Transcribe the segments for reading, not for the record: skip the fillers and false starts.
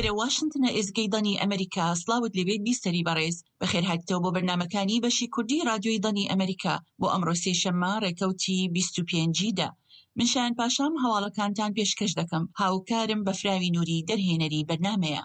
ئێرە واشنتنە ئێزگەی دەنگی ئەمەریکا، سڵاوت لێبێت بیسەری بەڕێز، بەخێرهاتیتەوە بۆ بەرنامەکانی بەشی کوردی ڕادیۆی دەنگی ئەمەریکا بۆ ئەمڕۆ سێشەممە ڕێکەوتی 25 ی دە. من شایان پاشام هەواڵەکانتان پێشکەش دەکەم، هاوکارم بەفراوی نوری دەرهێنەری بەرنامەیە.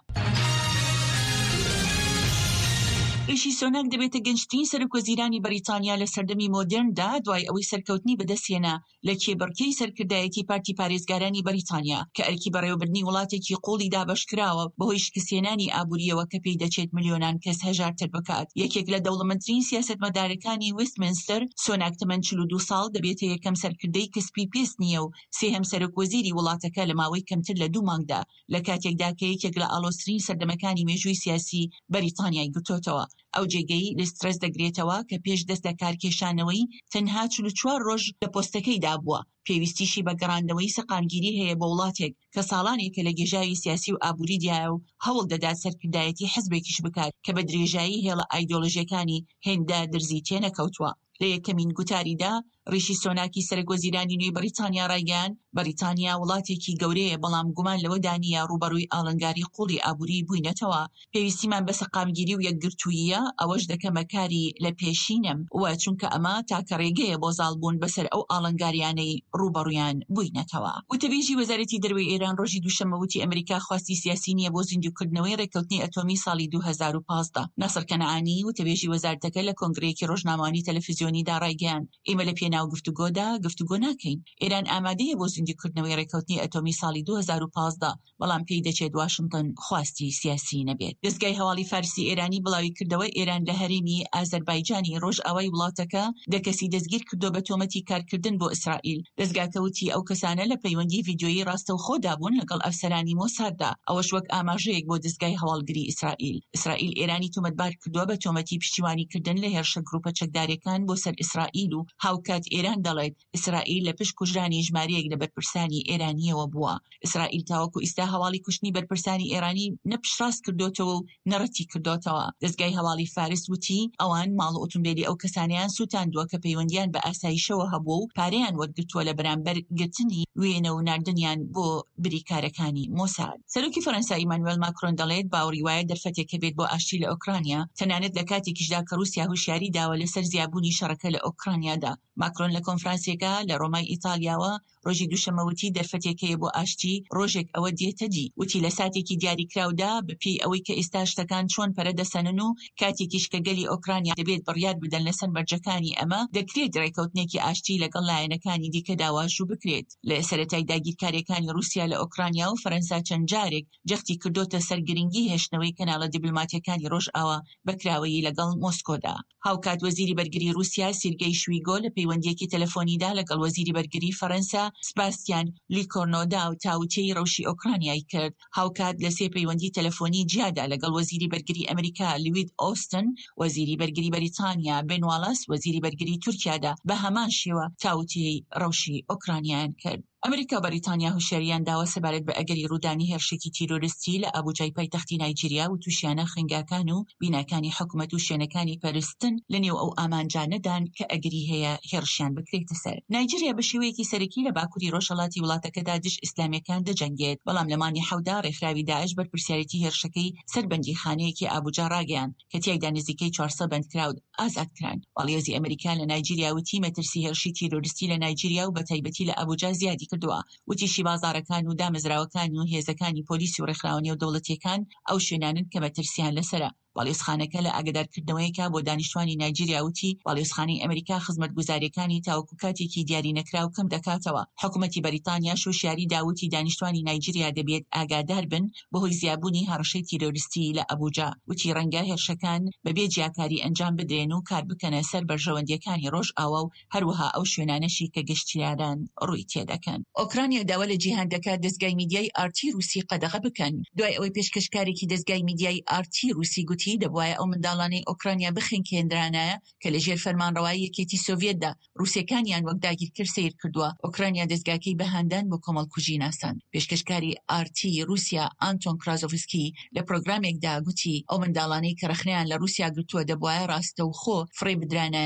ریشی سۆناک دەبێتە گەنجترین سەرۆکوەزیرانی بەریتانیا لە سەردەمی مۆدێرندا دوای ئەوەی سەرکەوتنی بەدەستهێنا لە کێبڕکێی سەرکردایەتی پارتی پارێزگارانی بەریتانیا کە ئەرکی بەڕێوەبردنی وڵاتێکی قوڵی دابەشکراوە بەهۆی شکستهێنانی ئابوورییەوە کە پێی دەچێت ملیۆنان کەس هەژارتر بکات. یەکێک لە دەوڵەمەندترین سیاسەتمەدارەکانی وێستمنستەر، سۆناک تەمەن 42 ساڵ، دەبێتە یەکەم سەرکردەی کە سپی پێست نییە و سێهەم سەرۆکوەزیری وڵاتەکە لە ماوەی کەمتر لە دوو مانگدا لە کاتێکدا کە یەکێک لە ئاڵۆزترین سەردەمەکانی مێژووی سیاسی بەریتانیای گرتۆتەوە. ئەو جێگەی لیز ترەس دەگرێتەوە کە پێش دەست لەکارکێشانەوەی تەنها 44 ڕۆژ لە پۆستەکەیدا بووە، پێویستیشی بە گەڕاندنەوەی سەقامگیری هەیە بۆ وڵاتێک کە ساڵانێکە لە گێژاوی سیاسی و ئابووریدایە و هەوڵ دەدات سەرکردایەتی حزبێکیش بکات کە بە درێژایی هێڵە ئایدۆلۆژیەکانی هێندە درزی تێنەکەوتووە. لە یەکەمین گوتاریدا ڕیشی سۆناکی سەرەکوەزیرانی نوێی بەریتانیا ڕایگەیاند، بەریتانیا وڵاتێکی گەورەیە بەڵام گومان لەوەدا نییە ڕووبەڕووی ئاڵنگاری قووڵی ئابووری بووینەتەوە، پێویستیمان بە سەقامگیری و یەکگرتووییە، ئەوەش دەکەمە کاری لە پێشینەم و چونکە ئەمە تاکە ڕێگەیە بۆ زاڵبوون بەسەر ئەو ئاڵنگاریانەی ڕووبەڕوویان بووینەتەوە. وتەبێژی وەزارەتی دەرەوەی ئێران ڕۆژی دووشەممە وتی ئەمریکا خواستی سیاسی نییە بۆ زیندووکردنەوەی ڕێککەوتنی ئەتۆمی ساڵی 2015. ناسڕ کەنعانی، وتەبێژی وەزارەتەکە لە کۆنگرەیەکی ڕۆژنامەوانی تەلەفزیۆنیدا ڕایگەیاند، ئێمە لە پێناو گفتوگۆدا گفتوگۆ ناکەین. ئێران ئامادەیە بۆ زیندووکردنەوەی ڕێککەوتنی ئەتۆمی ساڵی 2015، بەڵام پێی دەچێت واشنتن خواستی سیاسی نەبێت. دەزگای هەواڵی فارسی ئێرانی بڵاویکردەوە، ئێران لە هەرێمی ئازەربایجانی ڕۆژئاوای وڵاتەکە دە کەسی دەستگیرکردووە بە تۆمەتی کارکردن بۆ ئیسرائیل. دەزگاکە وتی ئەو کەسانە لە پەیوەندی ڤیدیۆیی ڕاستەوخۆدا بوون لەگەڵ ئەفسەرانی مۆساددا، ئەوەش وەک ئاماژەیەک بۆ دەزگای هەواڵگری ئیسرائیل. ئیسرائیل ئێرانی تۆمەتبار کردووە بە تۆمەتی پشتیوانیکردن لە هێرشە گروپە چەکدارییەکان بۆ سەر ئیسرائیل و هاوکات ئێران دەڵێت ئیسرائیل لە پشت کوژرانی ژمارەیەک لە بەرپرسانی ئێرانییەوە بووە. ئیسرائیل تاوەکو ئیستا هەواڵی کوشتنی بەرپرسانی ئێرانی نە پشتڕاست کردۆتەوە و نە ڕەتی کردۆتەوە. دەزگای هەواڵی فارس وتی، ئەوان ماڵ و ئۆتۆمبێلی ئەو کەسانەیان سووتاندووە کە پەیوەندییان بە ئاسایشەوە هەبووە و پارەیان وەرگرتووە لە بەرامبەر گرتنی وێنە و ناردنیان بۆ بریکارەکانی مۆساد. سەرۆکی فەرەنسا ئیمانوێل ماکرۆن دەڵێت، باوەڕی وایە دەرفەتێک هەبێت بۆ ئاشتی لە ئۆکرانیا، تەنانەت لە کاتێکیشدا کە ڕووسیا هۆشیاری داوە لەسەر زیابوونی شەڕەکە لە ئۆکرانیادا. ماکرۆن لە کۆنفرانسێکا لە ڕۆمای ئیتالیاوە ڕۆژی دووشەممە وتی دەرفەتێک هەیە بۆ ئاشتی، ڕۆژێک ئەوە دێتە دی. وتی لە ساتێکی دیاریکراودا، بەپێی ئەوەی کە ئێستا شتەکان چۆن پەرە دەسەنن و کاتێکیش کە گەلی ئۆکرانیا دەبێت بڕیار بدەن لەسەر مەرجەکانی ئەمە، دەکرێت ڕێکەوتنێکی ئاشتی لەگەڵ لایەنەکانی دیکەدا واژوو بکرێت. لە سەرەتای داگیرکارییەکانی ڕووسیا لە ئۆکرانیا و فەرەنسا چەند جارێک جەختی کردۆتە سەر گرنگی هێشتنەوەی کەناڵە دیبلۆماتییەکانی ڕۆژئاوا بە کراوەیی لەگەڵ مۆسکۆدا. هاوکات وەزیری بەرگری ڕووسیا سیرگەی شویگۆ لە پەیوەندییەکی تەلەفۆنیدا لەگەڵ وەزیری بەرگری فەرەنسا سباستیان لیکۆرنۆدا تاوتوێی ڕەوشی ئۆکرانیای کرد. هاوکات لە سێ پەیوەندی تەلەفۆنی جیادا لەگەڵ وەزیری بەرگری ئەمریکا لوید ئۆستن، وەزیری بەرگری بەریتانیا بن واڵاس، وەزیری بەرگری تورکیادا بە هەمان شێوە تاوتوێی ڕەوشی ئۆکرانیایان کرد. ئەمریکا و بەریتانیا هۆشیارییان داوە سەبارەت بە ئەگەری ڕوودانی هێرشێکی تیرۆریستی لە ئابوجای پایتەختی نایجیریا و تووشیانە خوێندگاکان و بیناکانی حکومەت و شوێنەکانی پەرستن لەنێو ئەو ئامانجانەدان کە ئەگەری هەیە هێڕشیان بکرێتە سەر. نایجیریا بە شێوەیەکی سەرەکی لە باکوری ڕۆژهەڵاتی وڵاتەکەدا دژ ئیسلامییەکان دەجەنگێت، بەڵام لە مانگی حەوتدا ڕێکخراوی داعش بەرپرسیارێتی هێرشەکەی سەر بەندیخانەیەکی ئابوجا ڕاگەیاند کە تیایدا نزیکەی 400 بەندکراو ئازاد کران. باڵیۆزی ئەمریکا لە نایجیریا وتی مەترسی هێرشی تیرۆریستی لە نایجیریا و بەتایبەتی لە ئابوجا زیادی کردووە. وتیشی بازاڕەکان و دامەزراوەکان و هێزەکانی پۆلیس و ڕێکخراوە نێودەوڵەتییەکان ئەو شوێنانەن کە مەترسییان لەسەرە. باڵیۆزخانەکە لە ئاگادارکردنەوەیەکا بۆ دانیشتوانی نایجیریا وتی باڵیۆزخانەی ئەمریکا خزمەتگوزارییەکانی تاوەکو کاتێکی دیارینەکراو کەم دەکاتەوە. حکومەتی بەریتانیاش هۆشیاری دا وتی دانیشتوانی نایجیریا دەبێت ئاگادار بن بەهۆی زیابوونی هەڕەشەی تیرۆریستی لە ئەبوجا، وتی ڕەنگە هێرشەکان بەبێ جیاکاری ئەنجام بدرێن و کار بکەنە سەر بەرژەوەندییەکانی ڕۆژئاوا و هەروەها ئەو شوێنانەشی کە گەشتیاران ڕووی تێدەکەن. ئۆکرانیا داوا لە جیهان دەکات دەزگای میدیای ئارتی ڕووسی قەدەغە بکەن، دوای ئەوەی پێشکەشکارێکی دەزگای میدیای ئارتی ڕووسی گوتی دەبوایە ئەو منداڵانەی ئۆکرانیا بخنکێندرانایە کە لەژێر فەرمانڕەوایی یەکێتی سۆڤیەتدا ڕووسەکانیان وەک داگیرکەر سەیر کردووە، ئۆکرانیا دەزگاکەی بە هاندان بۆ کۆمەڵکوژی ناساند. پێشکەشکاری ئارتی ڕووسیا ئانتۆن کرازۆڤسکی لە پرۆگرامێکدا گوتی ئەو منداڵانەی کە ڕەخنەیان لە ڕووسیا گرتووە دەبوایە ڕاستەوخۆ فڕێ بدرانایە.